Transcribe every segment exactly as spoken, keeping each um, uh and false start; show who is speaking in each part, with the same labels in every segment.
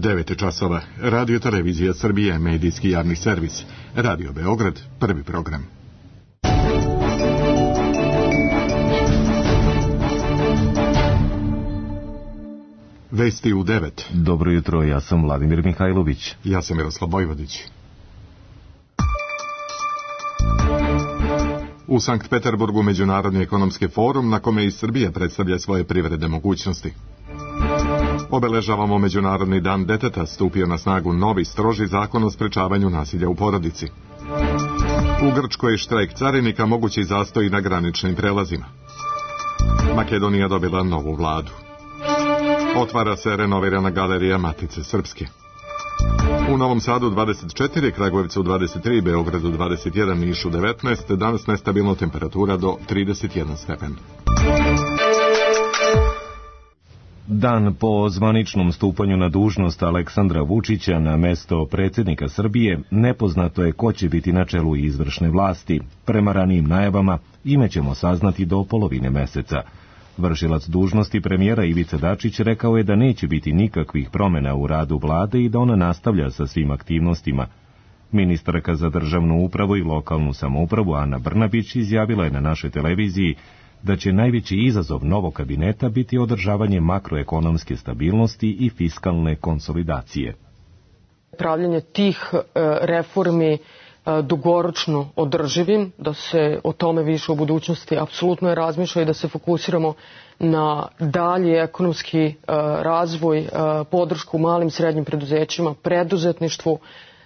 Speaker 1: devet časova. Radio Televizija Srbije, medijski javni servis. Radio Beograd, prvi program. Vesti u devet.
Speaker 2: Dobro jutro, ja sam Vladimir Mihajlović.
Speaker 1: Ja sam Miroslav Vojvodić. U Sankt Peterburgu Međunarodni ekonomski forum na kome i Srbija predstavlja svoje privredne mogućnosti. Obeležavamo Međunarodni dan deteta, stupio na snagu novi stroži zakon o sprečavanju nasilja u porodici. U Grčkoj štrajk carinika, mogući zastoj na graničnim prelazima. Makedonija dobila novu vladu. Otvara se renovirana galerija Matice Srpske. U Novom Sadu dvadeset četiri, Kragujevcu dvadeset tri, Beogradu dvadeset jedan, Nišu devetnaest, danas nestabilna temperatura do trideset jedan stepen.
Speaker 2: Dan po zvaničnom stupanju na dužnost Aleksandra Vučića na mesto predsjednika Srbije, nepoznato je ko će biti na čelu izvršne vlasti. Prema ranijim najavama, ime ćemo saznati do polovine meseca. Vršilac dužnosti premijera Ivica Dačić rekao je da neće biti nikakvih promjena u radu vlade i da ona nastavlja sa svim aktivnostima. Ministarka za državnu upravu i lokalnu samoupravu Ana Brnabić izjavila je na našoj televiziji da će najveći izazov novog kabineta biti održavanje makroekonomske stabilnosti i fiskalne konsolidacije.
Speaker 3: Pravljenje tih reformi dugoročno održivim, da se o tome više u budućnosti apsolutno je razmišlja i da se fokusiramo na dalji ekonomski razvoj, podršku malim i srednjim preduzećima, preduzetništvu,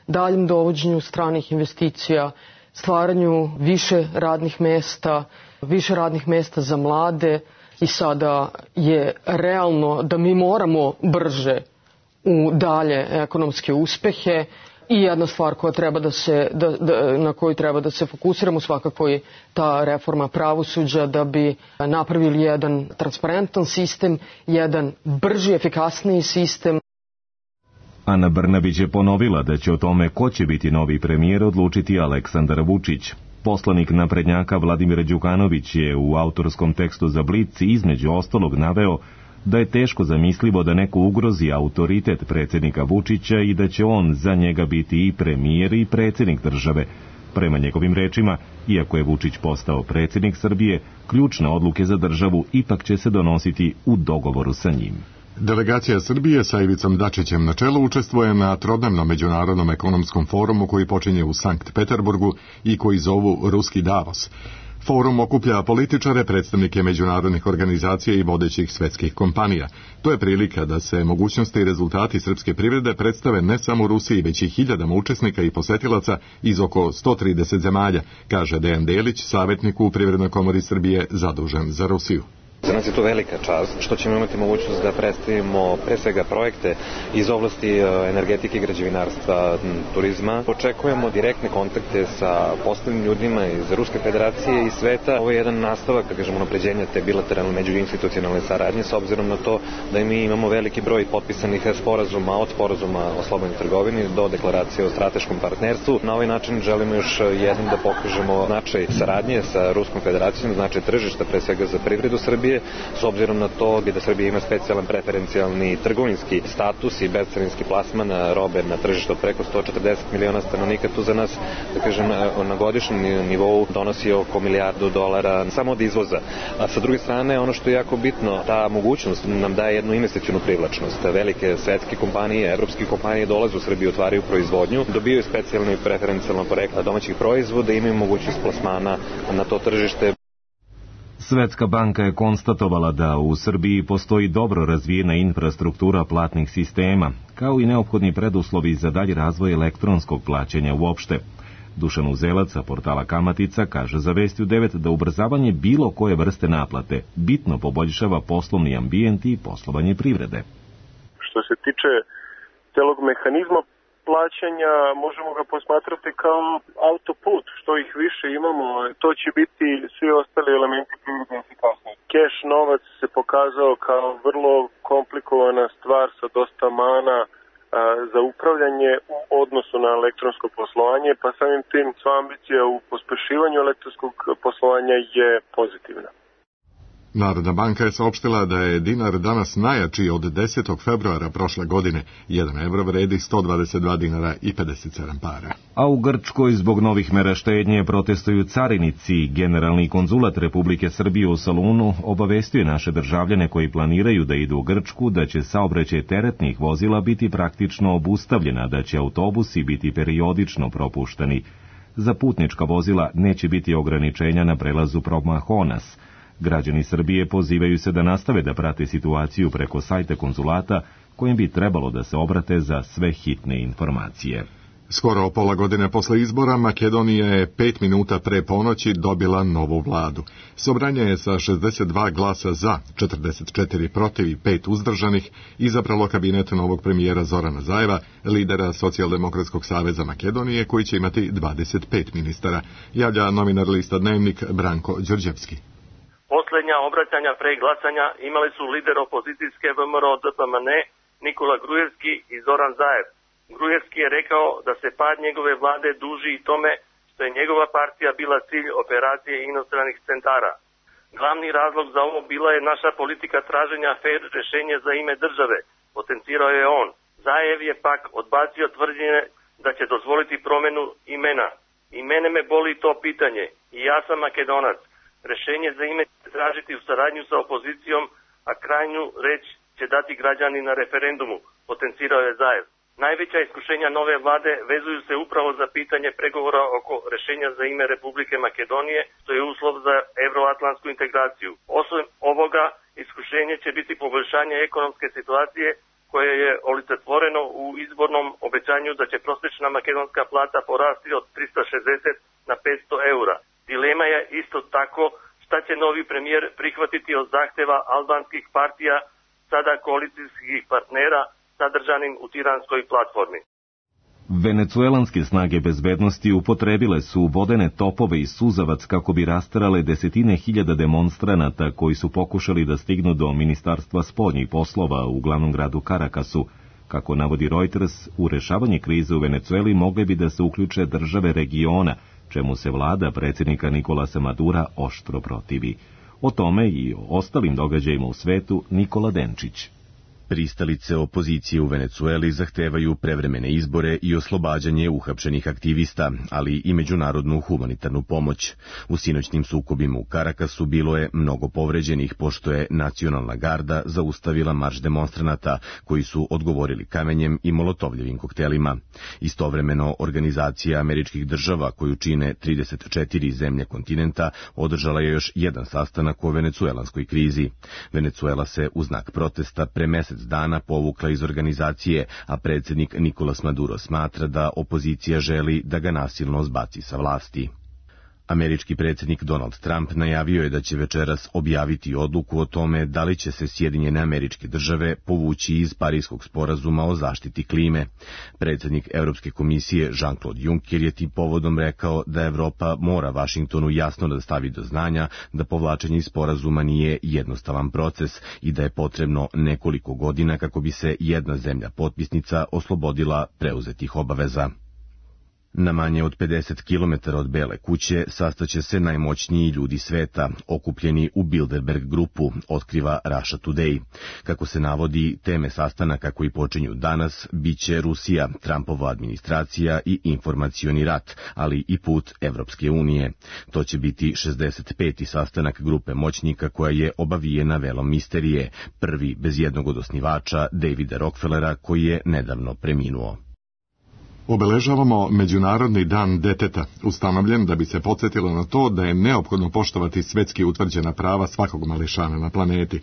Speaker 3: daljem dovođenju stranih investicija, stvaranju više radnih mesta, više radnih mesta za mlade i sada je realno da mi moramo brže u dalje ekonomske uspehe. I jedna stvar koja treba da se, da, da, na koju treba da se fokusiramo svakako je ta reforma pravosuđa da bi napravili jedan transparentan sistem, jedan brži, efikasniji sistem.
Speaker 2: Ana Brnabić je ponovila da će o tome ko će biti novi premijer odlučiti Aleksandar Vučić. Poslanik naprednjaka Vladimir Đukanović je u autorskom tekstu za Blic između ostalog naveo da je teško zamislivo da neko ugrozi autoritet predsjednika Vučića i da će on za njega biti i premijer i predsjednik države. Prema njegovim rečima, iako je Vučić postao predsjednik Srbije, ključne odluke za državu ipak će se donositi u dogovoru sa njim.
Speaker 1: Delegacija Srbije sa Ivicom Dačićem na čelu učestvuje na trodnevnom međunarodnom ekonomskom forumu koji počinje u Sankt Peterburgu i koji zovu Ruski Davos. Forum okuplja političare, predstavnike međunarodnih organizacija i vodećih svetskih kompanija. To je prilika da se mogućnosti i rezultati srpske privrede predstave ne samo u Rusiji, već i hiljadama učesnika i posetilaca iz oko sto trideset zemalja, kaže Dejan Delić, savjetnik u Privrednoj komori Srbije zadužen za Rusiju.
Speaker 4: Za nas je to velika čast što ćemo imati mogućnost da predstavimo pre svega projekte iz oblasti energetike, građevinarstva, turizma. Očekujemo direktne kontakte sa poslovnim ljudima iz Ruske federacije i sveta. Ovo je jedan nastavak, da kažemo, unapređenja te bilateralne međuinstitucionalne saradnje s obzirom na to da mi imamo veliki broj potpisanih sporazuma od sporazuma o slobodnoj trgovini do deklaracije o strateškom partnerstvu. Na ovaj način želimo još jednom da pokažemo značaj saradnje sa Ruskom federacijom, značaj tržišta pre svega za privredu Srbije, s obzirom na to da Srbija ima specijalan preferencijalni trgovinski status i bezcarinski plasman robe na tržištu od preko sto četrdeset miliona stanovnika. Tu za nas, da kažem, na godišnjem nivou donosi oko milijardu dolara samo od izvoza. A sa druge strane, ono što je jako bitno, ta mogućnost nam daje jednu investicionu privlačnost. Velike svetske kompanije, evropske kompanije dolaze u Srbiju, otvaraju proizvodnju, dobijaju specijalno i preferencijalno porekla domaćih proizvoda i imaju mogućnost plasmana na to tržište.
Speaker 2: Svetska banka je konstatovala da u Srbiji postoji dobro razvijena infrastruktura platnih sistema, kao i neophodni preduslovi za dalji razvoj elektronskog plaćanja uopšte. Dušan Uzelac sa portala Kamatica kaže za Vesti u devet da ubrzavanje bilo koje vrste naplate bitno poboljšava poslovni ambijent i poslovanje privrede.
Speaker 5: Što se tiče celog mehanizma plaćanja, možemo ga posmatrati kao autoput. Što ih više imamo, to će biti svi ostali elementi privrede efikasniji. Keš novac se pokazao kao vrlo komplikovana stvar sa dosta mana a, za upravljanje u odnosu na elektronsko poslovanje, pa samim tim sva ambicija u pospešivanju elektronskog poslovanja je pozitivna.
Speaker 1: Narodna banka je saopštila da je dinar danas najjači od desetog februara prošle godine. Jedan evro vredi sto dvadeset dva dinara i pedeset sedam para.
Speaker 2: A u Grčkoj zbog novih mera štednje protestuju carinici. Generalni konzulat Republike Srbije u Solunu obavestio naše državljane koji planiraju da idu u Grčku da će saobraćaj teretnih vozila biti praktično obustavljena, da će autobusi biti periodično propuštani. Za putnička vozila neće biti ograničenja na prelazu Promahonas. Građani Srbije pozivaju se da nastave da prate situaciju preko sajta konzulata, kojim bi trebalo da se obrate za sve hitne informacije.
Speaker 1: Skoro pola godine posle izbora Makedonija je pet minuta pre ponoći dobila novu vladu. Sobranje je sa šezdeset dva glasa za, četrdeset četiri protiv i pet uzdržanih izabralo kabinet novog premijera Zorana Zajeva, lidera Socijaldemokratskog saveza Makedonije, koji će imati dvadeset pet ministara, javlja novinar lista Dnevnik Branko Đorđevski.
Speaker 6: Poslednja obraćanja pre glasanja imali su lider opozicijske V M R O D P M N Nikola Grujevski i Zoran Zaev. Grujevski je rekao da se pad njegove vlade duži i tome što je njegova partija bila cilj operacije inostranih centara. Glavni razlog za ovo bila je naša politika traženja fer rešenja za ime države, potencirao je on. Zaev je pak odbacio tvrdnje da će dozvoliti promenu imena. I mene me boli to pitanje. I ja sam Makedonac. Rešenje za ime će tražiti u saradnju sa opozicijom, a krajnju reč će dati građani na referendumu, potencirao je Zaev. Najveća iskušenja nove vlade vezuju se upravo za pitanje pregovora oko rešenja za ime Republike Makedonije, što je uslov za evroatlantsku integraciju. Osim ovoga, iskušenje će biti poboljšanje ekonomske situacije, koje je olicetvoreno u izbornom obećanju da će prosječna makedonska plata porasti od trista šezdeset na petsto eura. Dilema je isto tako šta će novi premijer prihvatiti od zahteva albanskih partija, sada koalicijskih partnera, sadržanim u tiranskoj platformi.
Speaker 2: Venecuelanske snage bezbednosti upotrebile su vodene topove i suzavac kako bi rasterale desetine hiljada demonstranata koji su pokušali da stignu do Ministarstva spoljnih poslova u glavnom gradu Karakasu. Kako navodi Reuters, u rešavanje krize u Venecueli mogle bi da se uključe države regiona, čemu se vlada predsjednika Nikolasa Madura oštro protivi. O tome i o ostalim događajima u svetu Nikola Denčić.
Speaker 7: Pristalice opozicije u Venecueli zahtevaju prevremene izbore i oslobađanje uhapšenih aktivista, ali i međunarodnu humanitarnu pomoć. U sinoćnim sukobima u Karakasu bilo je mnogo povređenih, pošto je Nacionalna garda zaustavila marš demonstranata, koji su odgovorili kamenjem i molotovljevim koktelima. Istovremeno, Organizacija američkih država, koju čine trideset četiri zemlje kontinenta, održala je još jedan sastanak o venecuelanskoj krizi. Venecuela se u znak protesta pre mesec dana povukla iz organizacije, a predsjednik Nikolas Maduro smatra da opozicija želi da ga nasilno zbaci sa vlasti. Američki predsjednik Donald Trump najavio je da će večeras objaviti odluku o tome da li će se Sjedinjene Američke Države povući iz Pariskog sporazuma o zaštiti klime. Predsjednik Europske komisije Jean-Claude Juncker je tim povodom rekao da Evropa mora Vašingtonu jasno da stavi do znanja da povlačenje iz sporazuma nije jednostavan proces i da je potrebno nekoliko godina kako bi se jedna zemlja potpisnica oslobodila preuzetih obaveza. Na manje od pedeset kilometara od Bele kuće sastaće se najmoćniji ljudi sveta, okupljeni u Bilderberg grupu, otkriva Russia Today. Kako se navodi, teme sastanaka koji počinju danas biće Rusija, Trumpova administracija i informacioni rat, ali i put Evropske unije. To će biti šezdeset peti sastanak grupe moćnika koja je obavijena velom misterije, prvi bez jednog od osnivača, Davida Rockefellera, koji je nedavno preminuo.
Speaker 1: Obeležavamo Međunarodni dan deteta, ustanovljen da bi se podsjetilo na to da je neophodno poštovati svetski utvrđena prava svakog mališana na planeti.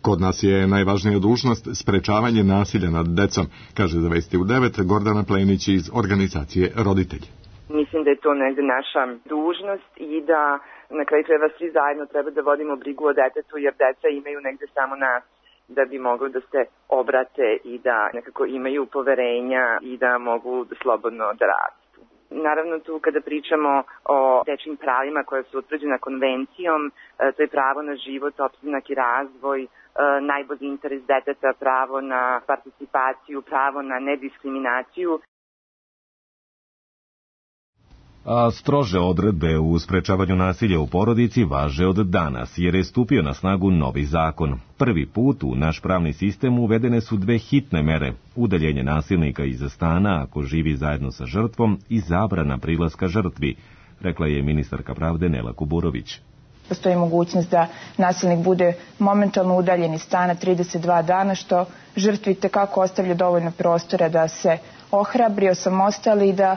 Speaker 1: Kod nas je najvažnija dužnost sprečavanje nasilja nad decom, kaže za Vesti u devet Gordana Plenić iz organizacije Roditelji.
Speaker 8: Mislim da je to negde naša dužnost i da na kraju krajeva svi zajedno treba da vodimo brigu o detetu, jer deca imaju negde samo nas da bi mogli da se obrate i da nekako imaju poverenja i da mogu slobodno da rastu. Naravno, tu kada pričamo o dečjim pravima koja su utvrđena konvencijom, to je pravo na život, opstanak i razvoj, najbolji interes deteta, pravo na participaciju, pravo na nediskriminaciju.
Speaker 2: A strože odredbe u sprečavanju nasilja u porodici važe od danas, jer je stupio na snagu novi zakon. Prvi put u naš pravni sistem uvedene su dve hitne mere, udaljenje nasilnika iz stana ako živi zajedno sa žrtvom i zabrana prilaska žrtvi, rekla je ministarka pravde Nela Kuburović.
Speaker 9: Postoji mogućnost da nasilnik bude momentalno udaljen iz stana trideset dva dana, što žrtvi tekako ostavlja dovoljno prostora da se ohrabri, osamostali i da e,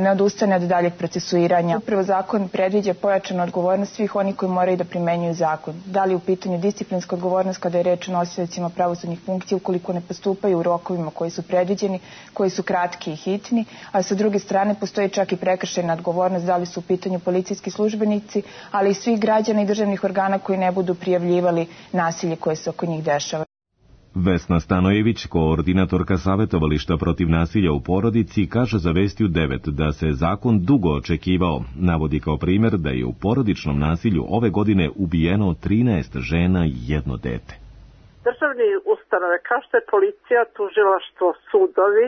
Speaker 9: ne odustane od daljeg procesuiranja. Upravo zakon predviđa pojačanu odgovornost svih onih koji moraju da primenjuju zakon. Da li u pitanju disciplinska odgovornost kada je reč o nosiocima pravosudnih funkcija ukoliko ne postupaju u rokovima koji su predviđeni, koji su kratki i hitni, a sa druge strane postoji čak i prekršajna odgovornost da li su u pitanju policijski službenici, ali i svih građana i državnih organa koji ne budu prijavljivali nasilje koje se oko njih dešava.
Speaker 2: Vesna Stanojević, koordinatorka savjetovališta protiv nasilja u porodici, kaže za Vesti u devet da se zakon dugo očekivao. Navodi kao primjer da je u porodičnom nasilju ove godine ubijeno trinaest žena i jedno dete.
Speaker 10: Državni ustanove kao što je policija, tužilaštvo, sudovi,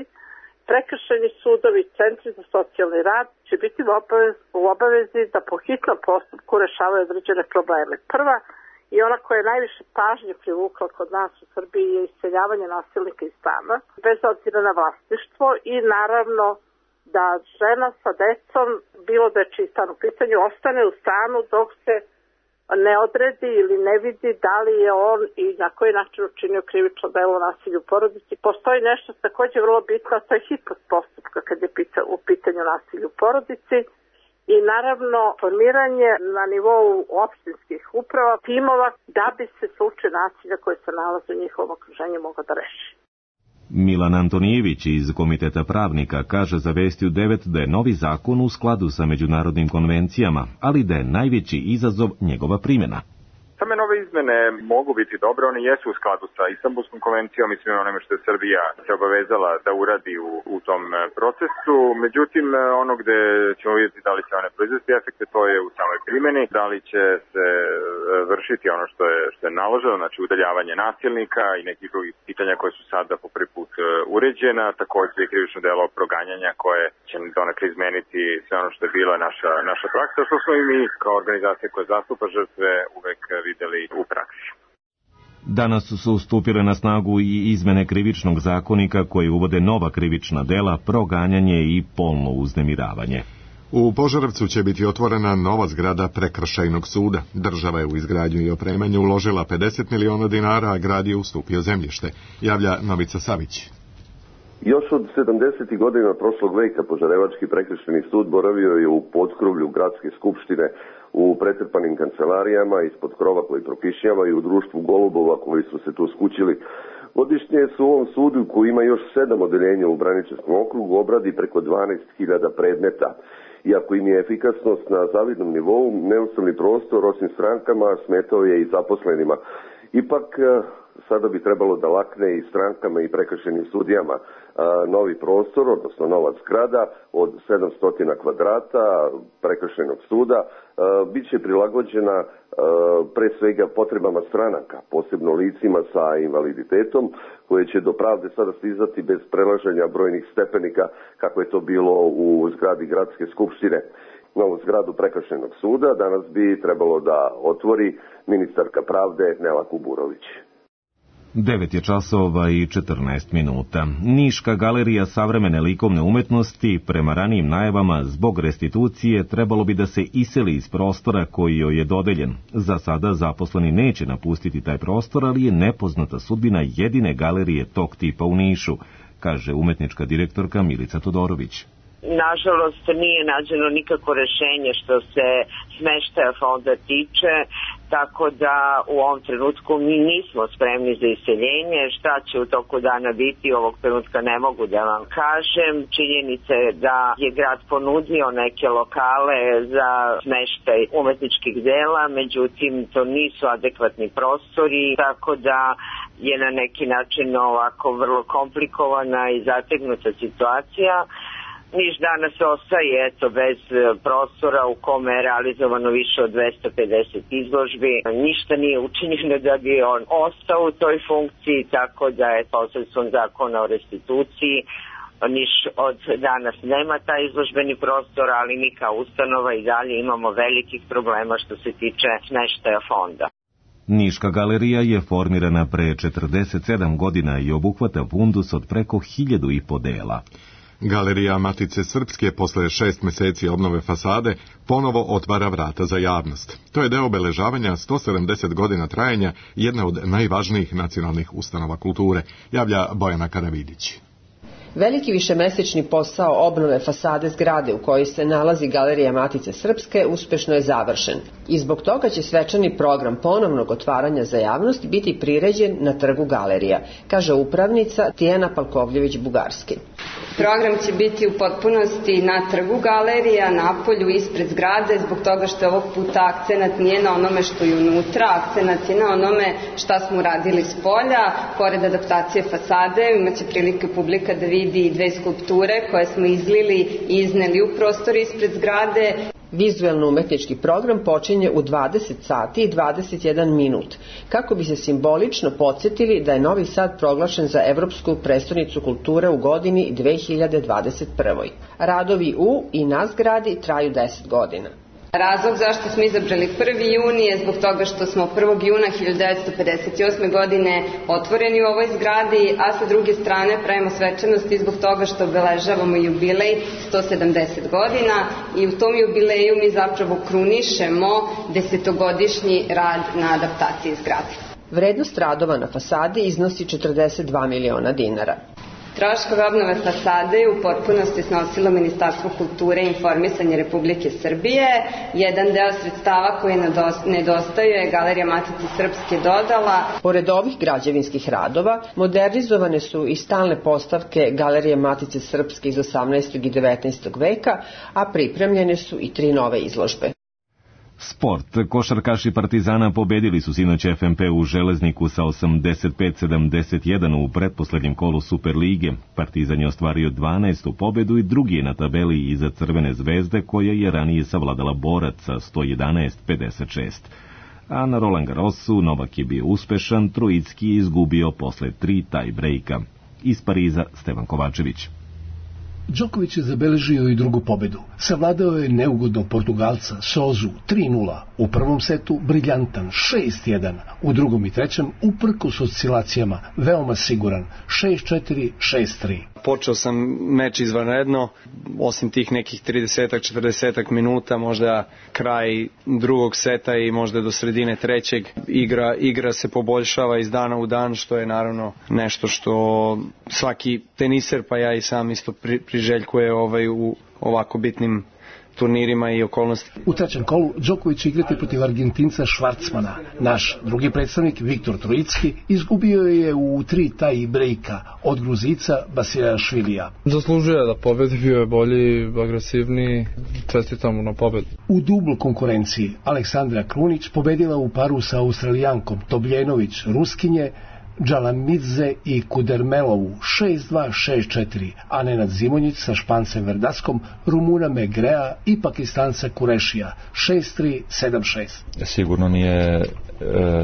Speaker 10: prekršajni sudovi, centri za socijalni rad će biti u obavezi, u obavezi da po hitnom postupku rešavaju određene probleme. Prva i ona koja je najviše pažnje privukla kod nas u Srbiji je iseljavanje nasilnika iz stana, bez obzira na vlasništvo i naravno da žena sa decom, bilo da je čiji stan u pitanju, ostane u stanu dok se ne odredi ili ne vidi da li je on i na koji način učinio krivično delo nasilja u porodici. Postoji nešto također vrlo bitno, a to je hitnost postupka kad je u pitanju nasilja u porodici. I naravno formiranje na nivou opštinskih uprava timova da bi se slučaj nasilja koji se nalaze u njihovom okruženju mogao da reši.
Speaker 2: Milan Antonijević iz Komiteta pravnika kaže za Vesti u devet da je novi zakon u skladu sa međunarodnim konvencijama, ali da je najveći izazov njegova primjena.
Speaker 11: Same nove izmene mogu biti dobre, one jesu u skladu sa Istanbulskom konvencijom i svime onome što je Srbija se obavezala da uradi u, u tom procesu. Međutim, ono gde ćemo vidjeti da li će one proizvesti efekte, to je u samoj primjeni, da li će se vršiti ono što je, što je naloženo, znači udaljavanje nasilnika i nekih drugih pitanja koje su sada po prvi put uređena, također i krivično delo proganjanja koje će donekle izmeniti sve ono što je bila naša, naša praksa, što smo i mi kao organizacija koja zastupa žrtve uvek videli u praksi.
Speaker 2: Danas su stupile na snagu i izmene krivičnog zakonika koje uvode nova krivična dela, proganjanje i polno uznemiravanje.
Speaker 1: U Požarevcu će biti otvorena nova zgrada prekršajnog suda. Država je u izgradnju i opremanje uložila pedeset miliona dinara, a grad je ustupio zemljište, javlja Novica Savić.
Speaker 12: Još od sedamdesetih godina prošlog veka Požarevački prekršajni sud boravio je u potkrovlju gradske skupštine, u pretrpanim kancelarijama, ispod krova koji prokišnjava i u društvu golubova koji su se tu skućili. Godišnje su u ovom sudu, koji ima još sedam odeljenja u Braničevskom okrugu, obradi preko dvanaest hiljada predmeta. Iako im je efikasnost na zavidnom nivou, neustavni prostor, osim strankama, smetao je i zaposlenima. Ipak, sada bi trebalo da lakne i strankama i prekršajnim sudijama. Novi prostor, odnosno nova zgrada od sedamsto kvadrata prekršajnog suda bit će prilagođena pre svega potrebama stranaka, posebno licima sa invaliditetom, koje će do pravde sada stizati bez prelaženja brojnih stepenika, kako je to bilo u zgradi gradske skupštine. Novu zgradu prekršajnog suda danas bi trebalo da otvori ministarka pravde Nela Kuburović.
Speaker 2: devet je časova i četrnaest minuta. Niška galerija savremene likovne umetnosti prema ranijim najavama zbog restitucije trebalo bi da se iseli iz prostora koji joj je dodeljen. Za sada zaposleni neće napustiti taj prostor, ali je nepoznata sudbina jedine galerije tog tipa u Nišu, kaže umetnička direktorka Milica Todorović.
Speaker 13: Nažalost, nije nađeno nikako rešenje što se smeštaja fonda tiče, tako da u ovom trenutku mi nismo spremni za iseljenje. Šta će u toku dana biti, ovog trenutka ne mogu da vam kažem. Činjenica je da je grad ponudio neke lokale za smeštaj umetničkih dela, međutim to nisu adekvatni prostori, tako da je na neki način ovako vrlo komplikovana i zategnuta situacija. Niš danas ostaje eto bez prostora u kome je realizovano više od dvesta pedeset izložbi. Ništa nije učinjeno da bi on ostao u toj funkciji, tako da je posredstvom zakona o restituciji Niš od danas nema taj izložbeni prostor, ali mi kao ustanova i dalje imamo velikih problema što se tiče smeštaja fonda.
Speaker 2: Niška galerija je formirana pre četrdeset sedam godina i obuhvata fundus od preko hiljadu i po dela.
Speaker 1: Galerija Matice Srpske posle šest meseci obnove fasade ponovo otvara vrata za javnost. To je deo obeležavanja sto sedamdeset godina trajanja jedne od najvažnijih nacionalnih ustanova kulture, javlja Bojana Karavidić.
Speaker 14: Veliki višemesečni posao obnove fasade zgrade u kojoj se nalazi Galerija Matice Srpske uspešno je završen i zbog toga će svečani program ponovnog otvaranja za javnost biti priređen na trgu Galerija, kaže upravnica Tijana Palkovljević-Bugarski.
Speaker 15: Program će biti u potpunosti na trgu Galerija, napolju, ispred zgrade, zbog toga što ovog puta akcenat nije na onome što je unutra, akcenat je na onome šta smo uradili s polja. Pored adaptacije fasade imaće prilike publika da vidi dve skulpture koje smo izlili i izneli u prostor ispred zgrade.
Speaker 14: Vizuelno-umetnički program počinje u dvadeset sati i dvadeset jedan minut, kako bi se simbolično podsjetili da je Novi Sad proglašen za Evropsku prestonicu kulture u godini dve hiljade dvadeset prve. Radovi u i na zgradi traju deset godina.
Speaker 15: Razlog zašto smo izabrali prvi jun je zbog toga što smo prvog juna hiljadu devetsto pedeset osme. godine otvoreni u ovoj zgradi, a sa druge strane pravimo svečanosti zbog toga što obeležavamo jubilej sto sedamdeset godina i u tom jubileju mi zapravo krunišemo desetogodišnji rad na adaptaciji zgrade.
Speaker 14: Vrednost radova na fasadi iznosi četrdeset dva miliona dinara.
Speaker 15: Troškove obnove fasade u potpunosti snosilo Ministarstvo kulture i informisanja Republike Srbije. Jedan deo sredstava koji nedostaju je Galerija Matice Srpske dodala.
Speaker 14: Pored ovih građevinskih radova, modernizovane su i stalne postavke Galerije Matice Srpske iz osamnaestog i devetnaestog veka, a pripremljene su i tri nove izložbe.
Speaker 2: Sport. Košarkaši Partizana pobedili su sinoć F M P u Železniku sa osamdeset pet sedamdeset jedan u pretposlednjem kolu Superlige. Partizan je ostvario dvanaestu pobedu i drugi je na tabeli iza Crvene zvezde, koja je ranije savladala Borac sa sto jedanaest pedeset šest. A na Roland Garrosu Novak je bio uspešan, Trojicki je izgubio posle tri taj-brejka. Iz Pariza Stevan Kovačević.
Speaker 16: Đoković je zabeležio i drugu pobedu. Savladao je neugodnog Portugalca Sozu tri nula, u prvom setu briljantan šest jedan, u drugom i trećem uprkos oscilacijama veoma siguran šest četiri, šest tri.
Speaker 17: Počeo sam meč izvanredno, osim tih nekih trideset četrdeset minuta, možda kraj drugog seta i možda do sredine trećeg, igra, igra se poboljšava iz dana u dan, što je naravno nešto što svaki teniser, pa ja i sam isto pri, priželjkuje ovaj, u ovako bitnim turnirima i okolnosti.
Speaker 16: U trećem kolu Đoković će igrati protiv Argentinca Švarcmana. Naš drugi predstavnik Viktor Trojicki izgubio je u tri taj-brejka od Gruzica Basijašvilija.
Speaker 18: Zaslužuje da pobedi, bio je bolji, agresivniji, čestitam mu na pobedu.
Speaker 16: U dubl konkurenciji Aleksandra Krunić pobedila u paru sa Australijankom Tobljenović Ruskinje, Džalamidze i Kudermelovu šest dva, šest četiri, a Nenad Zimonjić sa Špancem Verdaskom, Rumuna Megrea i Pakistanca Kurešija šest tri, sedam šest.
Speaker 19: Sigurno nije,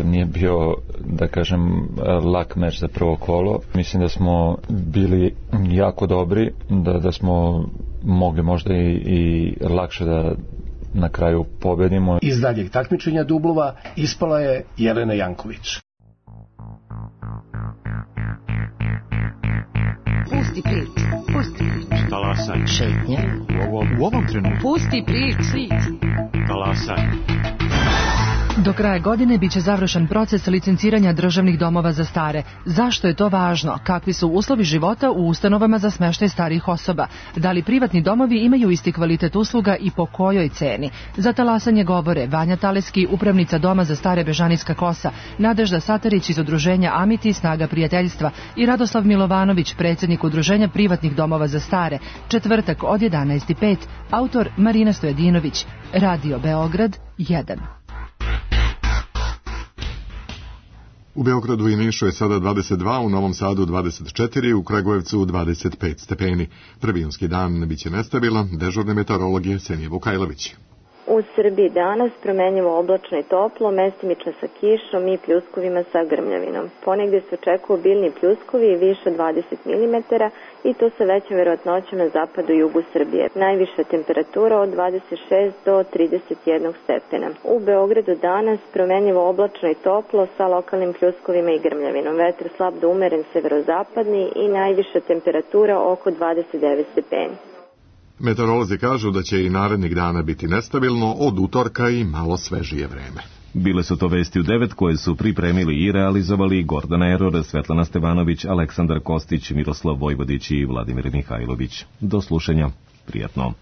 Speaker 19: nije bio, da kažem, lak meč za prvo kolo. Mislim da smo bili jako dobri, da, da smo mogli možda i, i lakše da na kraju pobedimo.
Speaker 16: Iz daljeg takmičenja dublova ispala je Jelena Janković.
Speaker 20: Pusti prič, pusti prič.
Speaker 21: Talasaj.
Speaker 20: Šetnje.
Speaker 21: U ovom, u ovom trenutku.
Speaker 20: Pusti prič.
Speaker 21: Talasaj.
Speaker 22: Do kraja godine biće završen proces licenciranja državnih domova za stare. Zašto je to važno? Kakvi su uslovi života u ustanovama za smeštaj starijih osoba? Da li privatni domovi imaju isti kvalitet usluga i po kojoj ceni? Za talasanje govore Vanja Taleski, upravnica Doma za stare Bežanijska Kosa, Nadežda Satarić iz udruženja Amiti Snaga prijateljstva i Radoslav Milovanović, predsjednik udruženja privatnih domova za stare. Četvrtak od jedanaest i pet, autor Marina Stojadinović, Radio Beograd jedan.
Speaker 1: U Beogradu i Nišu je sada dvadeset dva, u Novom Sadu dvadeset četiri, u Kragujevcu dvadeset pet stepeni. Prvi junski dan biće nestabilan, dežurni meteorolog je Senije Vukajlović.
Speaker 3: U Srbiji danas promenljivo oblačno i toplo, mestimično sa kišom i pljuskovima sa grmljavinom. Ponegde se očekuju obilni pljuskovi i više od dvadeset milimetara i to sa većom verovatnoćom na zapadu i jugu Srbije. Najviša temperatura od dvadeset šest do trideset jedan stepena. U Beogradu danas promenljivo oblačno i toplo sa lokalnim pljuskovima i grmljavinom. Vetar slab do umeren severozapadni i najviša temperatura oko dvadeset devet stepeni.
Speaker 1: Meteorolozi kažu da će i narednih dana biti nestabilno, od utorka i malo svežije vreme.
Speaker 2: Bile su to vesti u devet koje su pripremili i realizovali Gordana Eror, Svetlana Stevanović, Aleksandar Kostić, Miroslav Vojvodić i Vladimir Mihajlović. Do slušanja. Prijatno.